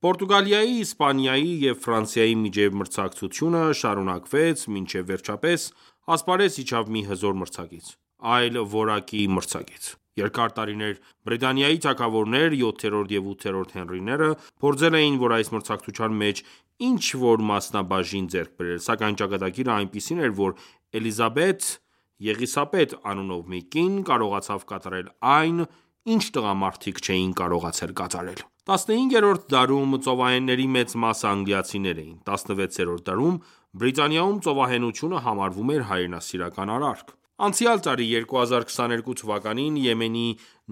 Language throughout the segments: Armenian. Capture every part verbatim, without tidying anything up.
Պորտուգալիայի, Իսպանիայի և Ֆրանսիայի միջև մրցակցությունը շարունակվեց մինչև վերջապես ասպարեզ իջավ մի հզոր մրցակից, այլ որակի մրցակից: Երկար տարիներ Բրիտանիայի թագավորներ յոթերորդ և ութերորդ Հենրիները փորձել էին, որ այս մրցակցության մեջ ինչ-որ մասնաբաժին ձեռք բերել, սակայն ճակատագիրը այնպիսին էր, որ Էլիզաբեթ Եղիսաբեթ անունով մի կին կարողացավ կատարել այն, ինչ տղամարդիկ չէին կարողացել կատարել: տասնհինգերորդ դարում ծովահենների մեծ մասը անգլիացիներ էին: տասնվեցերորդ դարում Բրիտանիայում ծովահենությունը համարվում էր հայրենասիրական արարք: Անցյալ տարի՝ երկու հազար քսաներկու թվականին, Եմենի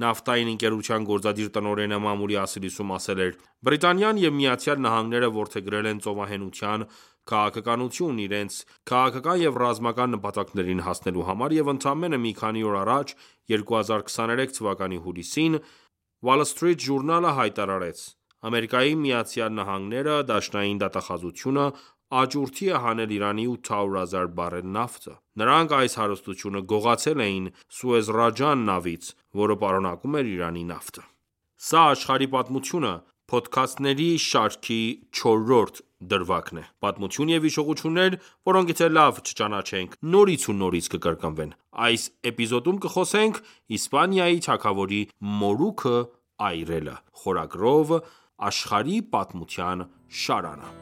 նավթային ընկերության գործադիր տնօրենը մամուլի ասելիսում ասել էր.«Բրիտանիան և ԱՄՆ-ը որդեգրել են ծովահենության քաղաքականություն՝ իրենց քաղաքական և ռազմական նպատակներին հասնելու համար, և ընդամենը մի քանի օր առաջ՝ երկու հազար քսաներեք թվականի հուլիսին, Wall Street Journal-ը հայտարարեց.«Ամերիկայի Միացյալ Նահանգները դաշնային դատախազությունը աճուրդի է հանել Իրանի ութ հարյուր հազար բարել նավթը: Նրանք այս հարստությունը գողացել էին Սուեզռաջան նավից, որը պարունակում էր Իրանի նավթը»: Սա «Աշխարհի պատմությունը» փոդքասթների շարքի չորրորդ դրվագն է: Պատմություն և հիշողություններ, որոնք եթե լավ չճանաչենք, նորից ու նորից կկրկնվեն: Այս էպիզոդում կխոսենք Իսպանիայի թագավորի մորուքը այրելը: Խորագրով «Աշխարհի պատմության շարանը»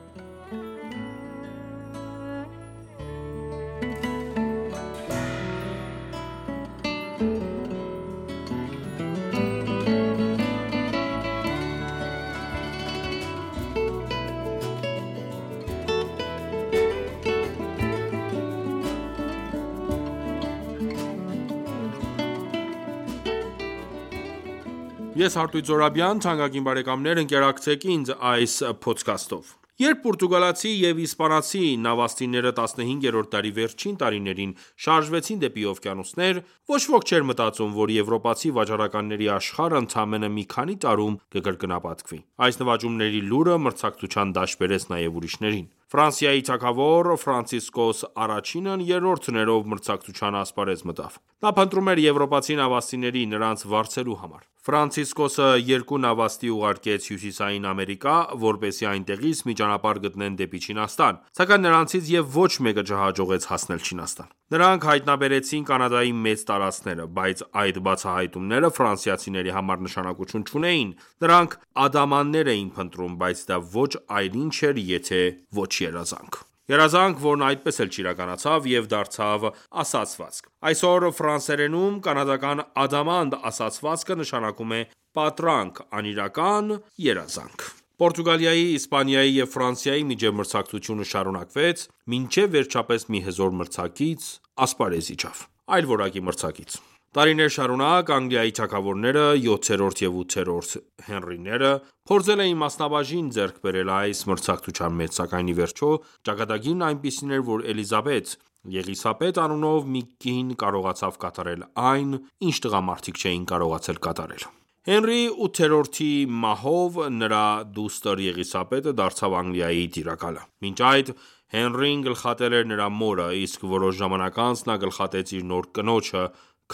Ես Արտույտ Զոհրաբյան, թանկագին բարեկամներ ընկերակցեք ինձ այս փոդքասթով: Երբ պորտուգալացի և իսպանացի նավաստիները տասնհինգերորդ դարի վերջին տարիներին շարժվեցին դեպի օվկիանոսներ, ոչ ոք չէր մտածում, որ եվրոպացի վաճառականների աշխարհը ընդամենը մի քանի տարում կկրկնապատկվի: Այս նվաճումների լուրը մրցակցության դաշտ բերեց նաև ուրիշներին: Ֆրանսիայի թագավոր Ֆրանցիսկոս առաջինն երրորդ ներով մրցակցության ասպարեզ մտավ: Նա փնտրում էր եվրոպացի նավաստիների՝ նրանց վարձելու համար: Ֆրանցիսկոսը երկու նավաստի ուղարկեց Հյուսիսային Ամերիկա, որպեսզի այնտեղից մի ճանապարհ գտնեն դեպի Չինաստան, սակայն նրանցից և ոչ մեկը չհաջողեց հասնել Չինաստան: Նրանք հայտնաբերեցին Կանադայի մեծ տարածքները, բայց այդ բացահայտումները ֆրանսիացիների համար նշանակություն չունեին: Նրանք ադամաններ էին փնտրում, բայց դա ոչ այլ ինչ էր, եթե ոչ երազանք: Երազանք, որն այդպես էլ չիրականացավ և դարձավ ասացվածք: Այսօր ֆրանսերենում կանադական ադամանդ ասացվածքը նշանակում է պատրանք, անիրական երազանք: Պորտուգալիայի, Իսպանիայի և Ֆրանսիայի միջև մրցակցությունը շարունակվեց, մինչև վերջապես մի հզոր մրցակից ասպարեզ իջավ: Այլ որակի մրցակից: Տարիներ շարունակ Անգլիայի թագավորները յոթերորդ և ութերորդ Հենրիները փորձել էին մասնաբաժին ձեռք բերել այս մրցակցության մեջ, սակայն ի վերջո ճակատագիրն այնպիսին էր, որ Էլիզաբեթ Եղիսաբեթ անունով մի կին կարողացավ կատարել այն, ինչ տղամարդիկ չէին կարողացել կատարել: Հենրի ութերորդի մահով նրա դուստր Եղիսաբեթը դարձավ Անգլիայի տիրակալը: Մինչ այդ Հենրին գլխատել էր նրա մորը, իսկ որոշ ժամանակ անց նա գլխատեց իր նոր կնոջը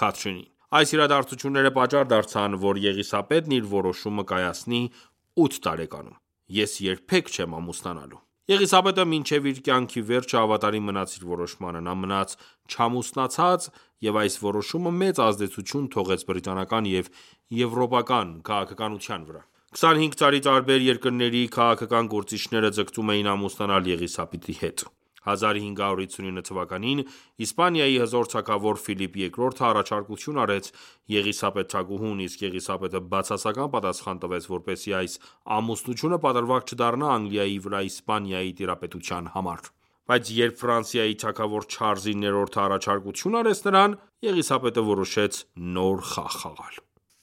Քաթրինին: Այս իրադարձությունները պատճառ դարձան, որ Եղիսաբեթն իր որոշումը կայացնի ութ տարեկանում: «Ես երբեք չեմ ամուսնանալու»: Եղիսաբեթը մինչև իր կյանքի վերջը հավատարիմ մնաց իր որոշմանը: Նա մնաց չամուսնացած և այս որոշումը մեծ ազդեցություն թողեց բրիտանական և եվրոպական քաղաքականության վրա: Քսանհինգ տարի տարբեր երկրների քաղաքական գործիչները ձգտում էին ամուսնանալ Եղիսաբեթի հետ: հազար հինգ հարյուր հիսունինը թվականին Իսպանիայի հզոր թագավոր Ֆիլիպ երկրորդը առաջարկություն արեց Եղիսաբեթ թագուհուն, իսկ Եղիսաբեթը բացասական պատասխան տվեց, որպեսզի այս ամուսնությունը պատրվակ չդառնա Անգլիայի վրա Իսպանիայի տիրապետության համար: Բայց երբ Ֆրանսիայի թագավոր Չարլզի ներորդը առաջարկություն արեց նրան, Եղիսաբեթը որոշեց նոր խաղ խաղալ: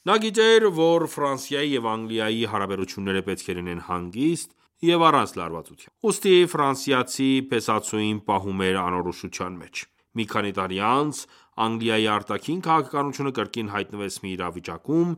Նա գիտեր, որ Ֆրանսիայի և Անգլիայի հարաբերությունները պետք է լինեն հանգիստ և առանց լարվածության: Ուստի ֆրանսիացի փեսացուին պահում էր անորոշության մեջ: Մի քանի տարի անց Անգլիայի արտաքին քաղաքականությունը կրկին հայտնվեց մի իրավիճակում,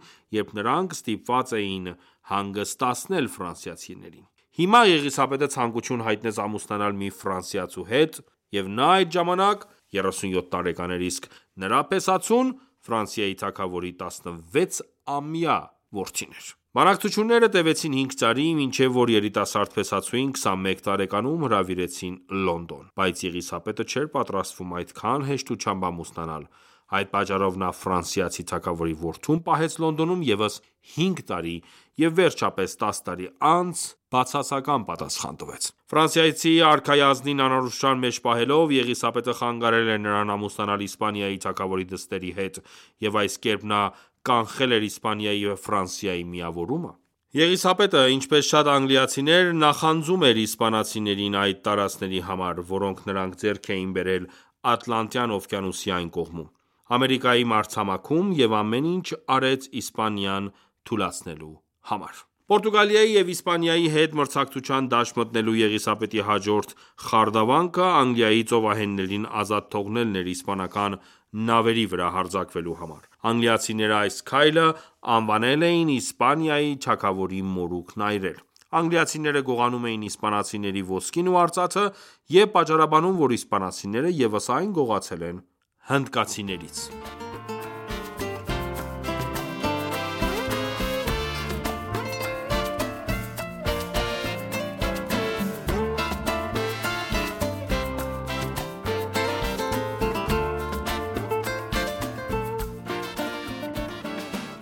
երբ նրանք ստիպված էին հանգստացնել ֆրանսիացիներին: Հիմա Եղիսաբեթը ցանկություն հայտնեց ամուսնանալ մի ֆրանսիացու հետ և նա այդ ժամանակ երեսունյոթ տարեկան էր, իսկ նրա փեսացուն Ֆրանսիայի թագավորի տասնվեցամյա որդին էր: Բանակցությունները տևեցին հինգ տարի, մինչև որ երիտասարդ փեսացուին քսանմեկ տարեկանում հրավիրեցին Լոնդոն, բայց Եղիսաբեթը չէր պատրաստվում այդքան հեշտությամբ ամուսնանալ: Այդ պատճառով նա ֆրանսիացի թագավորի որդուն պահեց Լոնդոնում ևս հինգ տարի և վերջապես տաս տարի անց բացասական պատասխան տվեց: Ֆրանսիացի արքայի ազնին անորոշության մեջ պահելով, Եղիսաբեթը խանգարել էր նրան ամուսնանալ Իսպանիայի թագավորի դստերի հետ և այս կերպ նա կանխել էր Իսպանիայի և Ֆրանսիայի միավորումը: Եղիսաբեթը, ինչպես շատ անգլիացիներ, նախանձում էր իսպանացիներին այդ տարածքների համար, որոնք նրանք ձեռք էին բերել Ատլանտյան օվկիանոսի այն կողմում, Ամերիկայի մայրցամաքում և ամեն ինչ արեց Իսպանիան թուլացնելու համար: Պորտուգալիայի և Իսպանիայի հետ մրցակցության դաշտ մտնելու Եղիսաբեթի հաջորդ խարդավանքը Անգլիայի ծովահեններին ազատ թողնելն էր իսպանական նավերի վրա հարձակվելու համար: Անգլիացիները այս քայլը անվանել էին Իսպանիայի թագավորի մորուքն այրել: Անգլիացիները գողանում էին իսպանացիների ոսկին ու արծաթը և պատճառաբանում, որ իսպանացիները ևս այն գողացել են հնդկացիներից: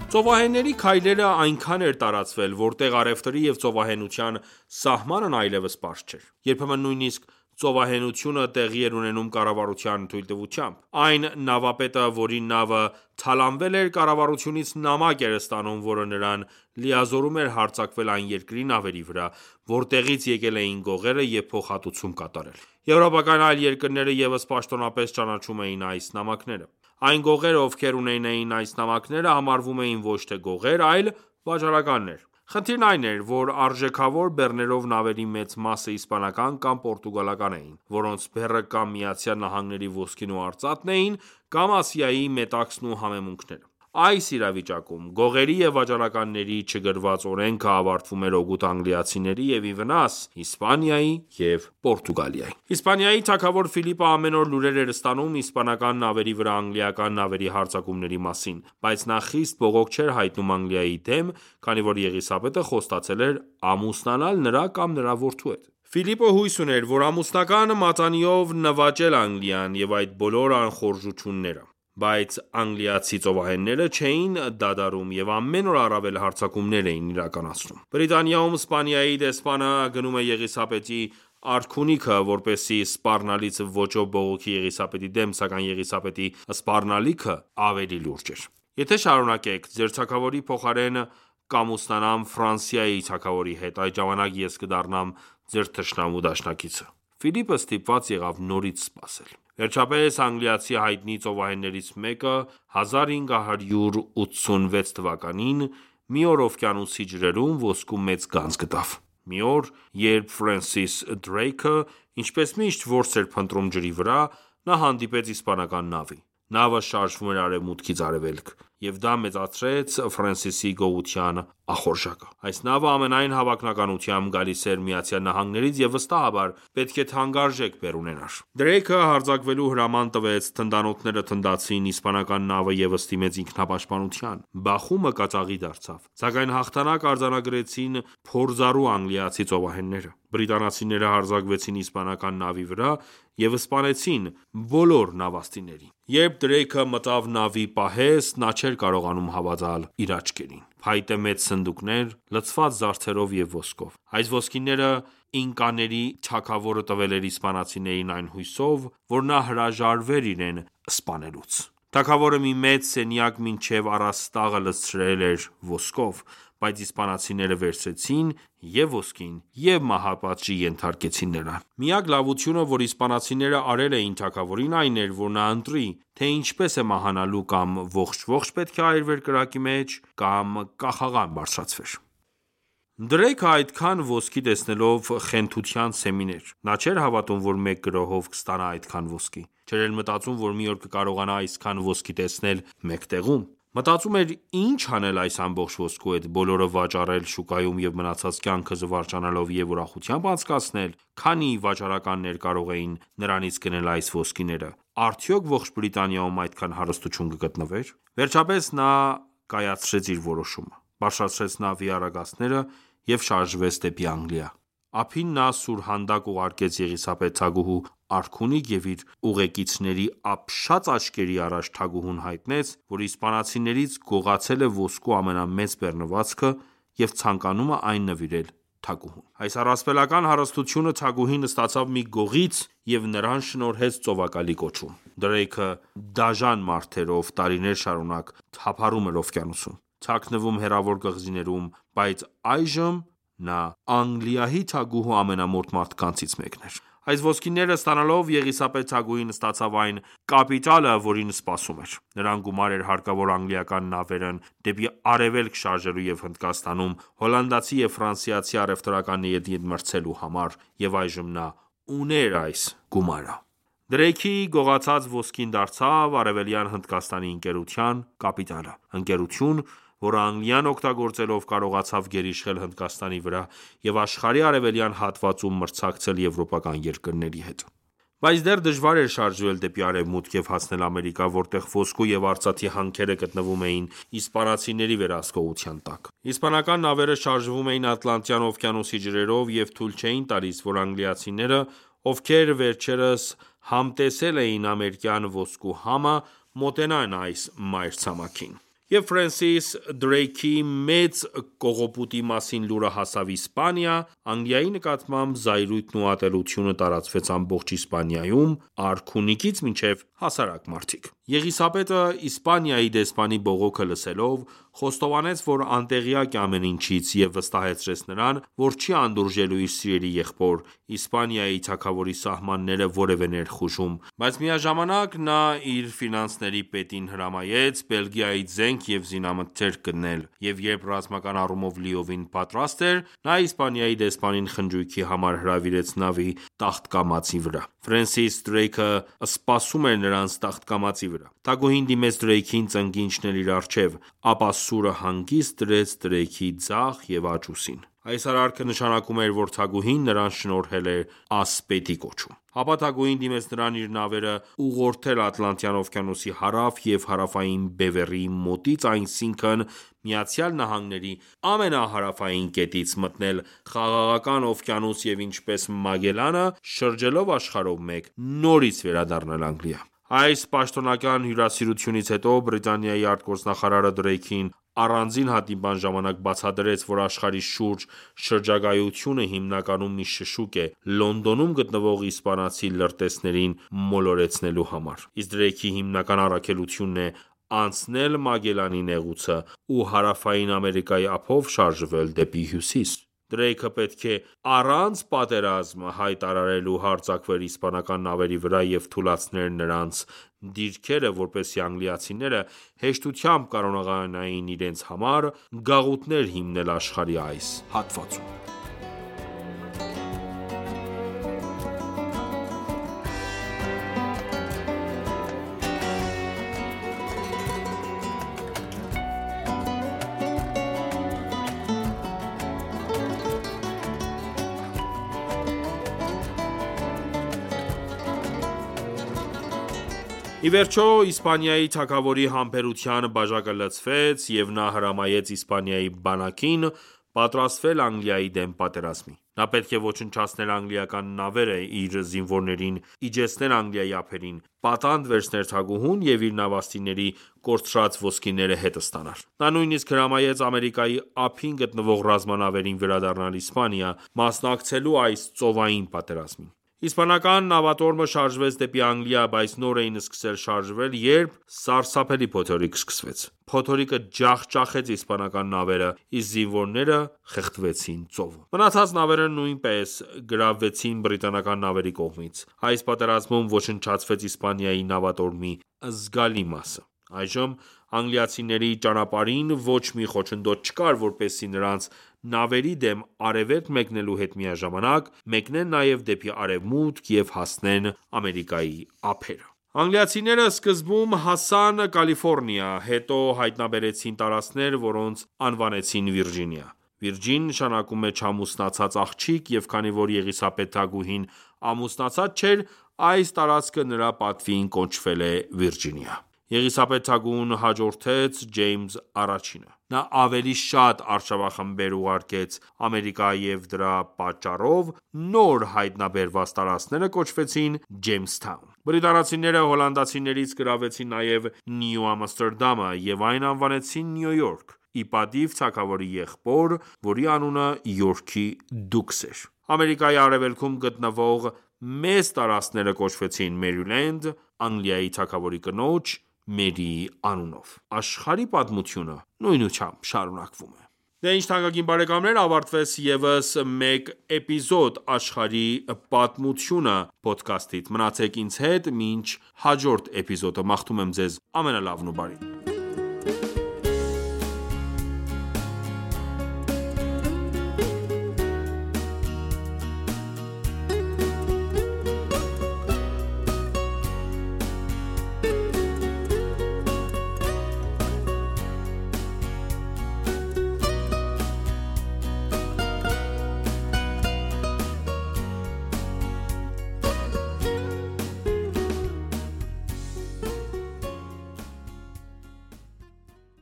Ծովահենների քայլերը այնքան էր տարածվել, որտեղ առևտրի և ծովահենության սահմանն այլևս պարզ չէր: Երբեմն նույնիսկ ծովահենությունը տեղի էր ունենում կառավարության թույլտվությամբ: Այն նավապետը, որի նավը թալանվել էր, կառավարությունից նամակ էր ստանում, որը նրան լիազորում էր հարձակվել այն երկրի նավերի վրա, որտեղից եկել էին գողերը և փոխհատուցում կատարել: Եվրոպական այլ երկրները ևս պաշտոնապես ճանաչում էին այս նամակները: Այն գողերը, ովքեր ունենային այս նամակները, համարվում էին ոչ թե գողեր, այլ վաճառականներ: Խնդիրն այն էր, որ արժեքավոր բեռներով նավերի մեծ մասը իսպանական կամ պորտուգալական էին, որոնց բեռը կամ ԱՄՆ-ի ոսկին ու արծաթն էին, կամ Ասիայի մետաքսն ու համեմունքները: Այս իրավիճակում, գողերի և վաճառականների չգրված օրենքը ավարտվում էր օգուտ անգլիացիների և ի վնաս Իսպանիայի և Պորտուգալիայի: Իսպանիայի թագավոր Ֆիլիպը ամեն օր լուրեր էր ստանում իսպանական նավերի վրա անգլիական նավերի հարձակումների մասին, բայց նա խիստ բողոք չէր հայտնում Անգլիայի դեմ, քանի որ Եղիսաբեթը խոստացել էր ամուսնանալ նրա կամ նրա որդու հետ: Ֆիլիպը հույս ուներ, որ ամուսնական մատանիով նվաճել Անգլիան և այդ բոլոր անխորժությունները: Բայց անգլիացի ծովահենները չէին դադարում և ամեն օր առավել հարձակումներ էին իրականացնում: Բրիտանիայում Իսպանիայի դեսպանը գնում է Եղիսաբեթի արքունիքը, որպեսզի սպառնալից ոճով բողոքի Եղիսաբեթի դեմ, սակայն Եղիսաբեթի սպառնալիքը ավելի լուրջ էր: Եթե շարունակեք, ձեր թագավորի փոխարեն կամուսնանամ Ֆրանսիայի թագավորի հետ, այդ ժամանակ ես կդառնամ ձեր թշնամու դաշնակիցը: Ֆիլիպը ստիպված եղավ նորից սպասել: Վերջապես անգլիացի հայտնի ծովահեններից մեկը հազար հինգ հարյուր ութսունվեց թվականին մի օր օվկիանոսի ջրերում ոսկու մեծ գանձ գտավ: Մի օր, երբ Ֆրենսիս Դրեյքը ինչպես միշտ որս էր փնտրում ջրի վրա, նա հանդիպեց իսպանական նավի: Նավը շարժվում էր արևմուտքից արևելք, և դա մեծացրեց Ֆրենսիսի գողության ախորժակը: Այս նավը ամենայն հավանականությամբ գալիս էր ԱՄՆ-ից և վստահաբար պետք է թանկարժեք բեռ ունենար: Դրեյքը հարձակվելու հրաման տվեց, թնդանոթները թնդացին, իսպանական նավը ևս դիմեց ինքնապաշտպանության: Բախումը կատաղի դարձավ: Սակայն հաղթանակ արձանագրեցին փորձառու անգլիացի ծովահենները: Բրիտանացիները հարձակվեցին իսպանական նավի վրա և սպանեցին բոլոր նավաստիներին: Երբ Դրեյքը մտավ նավի պահեստ, նա չէր կարողանում հավատալ իր աչքերին: Փայտե մեծ սնդուկներ, լցված զարդերով և ոսկով: Այս ոսկիները ինկաների թագավորը տվել էր իսպանացիներին այն հույսով, որ նա հրաժարվեր իրեն սպանելուց: Թագավորը մի մեծ սենյակ մինչև առաստաղը լցրել էր ոսկով: Բայց իսպանացիները վերցրեցին և ոսկին և մահապատժի ենթարկեցին նրան: Միակ լավությունը, որ իսպանացիները արել էին թագավորին, այն էր, որ նա ընտրի, թե ինչպես է մահանալու կամ ողջ-ողջ պետք է այրվեր կրակի մեջ, կամ կախաղան բարձրացվեր: Դրեյքը այդքան ոսկի տեսնելով խենթության սեմին էր: Նա չէր հավատում, որ մեկ գրոհով կստանա այդքան ոսկի: Չէր էլ մտածում, որ մի օր կկարողանա այսքան ոսկի տեսնել մեկ տեղում: Մտածում էր ինչ անել այս ամբողջ ոսկու հետ, բոլորը վաճառել շուկայում և մնացած կյանքը զվարճանալով և ուրախությամբ անցկացնել: Քանի՞ վաճառականներ կարող էին նրանից գնել այս ոսկիները: Արդյոք ողջ Բրիտանիայում այդքան հարստություն կգտնվեր: Վերջապես նա կայացրեց իր որոշումը: բարձրացրեց նավի արագածները և շարժվեց դեպի Անգլիա։ Ափին նա սուրհանդակ ուղարկեց Եղիսաբեթ թագուհու արքունիք և իր ուղեկիցների ապշած աչքերի առաջ թագուհուն հայտնեց, որ իսպանացիներից գողացել է ոսկու ամենամեծ բեռնվածքը և ցանկանում է այն նվիրել թագուհուն։ Այս առասպելական հարստությունը թագուհին ստացավ մի գողից և նրան շնորհեց ծովակալի կոչում։ Դրեյքը դաժան մարդ էր, ով տարիներ շարունակ թափառում էր օվկիանոսում, թաքնվում հեռավոր կղզիներում, բայց այժմ նա Անգլիայի թագուհու ամենամոտ մարդկանցից մեկն էր։ Այս ոսկիները ստանալով Եղիսաբեթ թագուհին ստացավ այն կապիտալը, որին սպասում էր։ Նրան գումար էր հարկավոր անգլիական նավերն դեպի արևելք շարժելու և Հնդկաստանում հոլանդացի և ֆրանսիացի առևտրականների հետ մրցելու համար, և այժմ նա ուներ այս գումարը։ Դրեյքի գողացած ոսկին դարձավ Արևելյան Հնդկաստանի ընկերության կապիտալը։ Ընկերություն, որը Անգլիան օգտագործելով կարողացավ գերիշխել Հնդկաստանի վրա և աշխարհի արևելյան հատվածում մրցակցել եվրոպական երկրների հետ։ Բայց դեռ դժվար էր շարժվել դեպի արևմուտք և հասնել Ամերիկա, որտեղ ոսկու և արծաթի հանքերը գտնվում էին իսպանացիների վերահսկողության տակ։ Իսպանական նավերը շարժվում էին Ատլանտյան օվկիանոսի ջրերով և թույլ չէին տալիս, որ անգլիացիները, ովքեր վերջերս համտեսել էին ամերիկյան ոսկու համը, մոտենան այս մայրցամաքին։ Երբ Ֆրենսիս Դրեյքի մեծ կողոպուտի մասին լուրը հասավ Իսպանիա, Անգլիայի նկատմամբ զայրույթն ու ատելությունը տարածվեց ամբողջ Իսպանիայում, արքունիքից մինչև հասարակ մարդիկ։ Եղիսաբեթը Իսպանիայի դեսպանի բողոքը լսելով, խոստովանեց, որ անտեղյակ է ամեն ինչից և վստահեցրեց նրան, որ չի անդուրժելու իր սիրելի եղբոր, Իսպանիայի թագավորի սահմանները որևէ ներխուժում, բայց միաժամանակ նա իր ֆինանսների պետին հրամայեց Բելգիայից զենք և զինամթերք գտնել, և երբ ռազմական առումով լիովին պատրաստ էր, նա Իսպանիայի դեսպանին խնջույքի համար հրավիրեց նավի տախտակամածի վրա։ Ֆրենսիս Դրեյքը սպասում էր նրանց տախտակամածի վրա։ Թագուհին դիմեց Դրեյքին ծնկի իջնել իր առջև, ապա սուրը հանգիստ դրեց Դրեյքի ձախ և աջ ուսին։ Այս արարքը նշանակում էր, որ թագուհին նրան շնորհել էր ասպետի կոչում։ Ապա թագուհին դիմեց նրան իր նավերը ուղղորդել Ատլանտյան օվկիանոսի հարավ և հարավային բևեռի մոտից, այսինքն Միացյալ Նահանգների ամենահարավային կետից, մտնել Խաղաղական օվկիանոս և ինչպես Մագելլանը, շրջելով աշխարհով մեկ, նորից վերադառնալ Անգլիա։ Այս պաշտոնական հյուրասիրությունից հետո Բրիտանիայի արտգործնախարարը Դրեյքին առանձին հանդիպման ժամանակ բացատրեց, որ աշխարհի շուրջ շրջագայությունը հիմնականում մի շշուկ է Լոնդոնում գտնվող իսպանացի լրտեսներին մոլորեցնելու համար, իսկ Դրեյքի հիմնական առաքելությունն է անցնել Մագելլանի նեղուցը ու Հարավային Ամերիկայի ափով շարժվել դեպի հյուսիս։ Դրեյքը պետք է առանց պատերազմ հայտարարելու հարձակվեր իսպանական նավերի վրա և թուլացներ նրանց դիրքերը, որպեսզի անգլիացիները հեշտությամբ կարողանային իրենց համար գաղութներ հիմնել աշխարհի այս հատվածում։ Ի վերջո, Իսպանիայի թագավորի համբերության բաժակը լցվեց, և նա հրամայեց Իսպանիայի բանակին պատրաստվել Անգլիայի դեմ պատերազմի։ Նա պետք է ոչնչացներ անգլիական նավերը, իր զինվորներին իջեցներ Անգլիայի ափերին, պատանդ վերցներ թագուհուն և իր նավաստիների կորցրած ոսկիները հետ ստանար։ Նա նույնիսկ հրամայեց Ամերիկայի ափին գտնվող ռազմանավերին վերադառնալ Իսպանիա՝ մասնակցելու այս ծովային պատերազմին։ Իսպանական նավատորմը շարժվեց դեպի Անգլիա, բայց նոր էին սկսել շարժվել, երբ սարսափելի փոթորիկ սկսվեց։ Փոթորիկը ջախջախեց իսպանական նավերը, իսկ զինվորները խեղդվեցին ծովում։ Մնացած նավերը նույնպես գրավվեցին բրիտանական նավերի կողմից։ Այս պատերազմում ոչնչացվեց Իսպանիայի նավատորմի զգալի մասը։ Այժմ անգլիացիների ճանապարհին ոչ մի խոչընդոտ չկար, որպեսզի նրանց նավերի դեմ արևելք մեկնելու հետ միաժամանակ մեկնեն նաև դեպի արևմուտք և հասնեն Ամերիկայի ափերը։ Անգլիացիները սկզբում հասան Կալիֆոռնիա, հետո հայտնաբերեցին տարածքներ, որոնց անվանեցին Վիրջինիա։ Վիրջին նշանակում է չամուսնացած աղջիկ, և քանի որ Եղիսաբեթ թագուհին ամուսնացած չէր, այս տարածքը նրա պատվին կոչվել է Վիրջինիա։ Եղիսաբեթ թագուհուն հաջորդեց Ջեյմս առաջինը: Նա ավելի շատ արշավախմբեր ուղարկեց Ամերիկա և դրա պատճառով նոր հայտնաբերված տարածքները կոչվեցին Ջեյմսթաուն: Բրիտանացիները հոլանդացիներից գրավեցին նաև Նյու Ամստերդամը և այն անվանեցին Նյու Յորք, ի պատիվ թագավորի եղբոր, որի անունը Յորքի դուքս էր: Ամերիկայի արևելքում գտնվող մեծ տարածքները կոչվեցին Մերիլենդ՝ Անգլիայի թագավորի կնոջ՝ Մերիի անունով: Աշխարհի պատմությունը նույնությամբ շարունակվում է: Դե ինչ թանկագին բարեկամներ ավարտվեց ևս մեկ էպիզոդ «Աշխարհի պատմությունը» փոդքասթից: Մնացեք ինձ հետ մինչ հաջորդ էպիզոդը: Մաղթում եմ ձեզ ամենալավն ու բարին: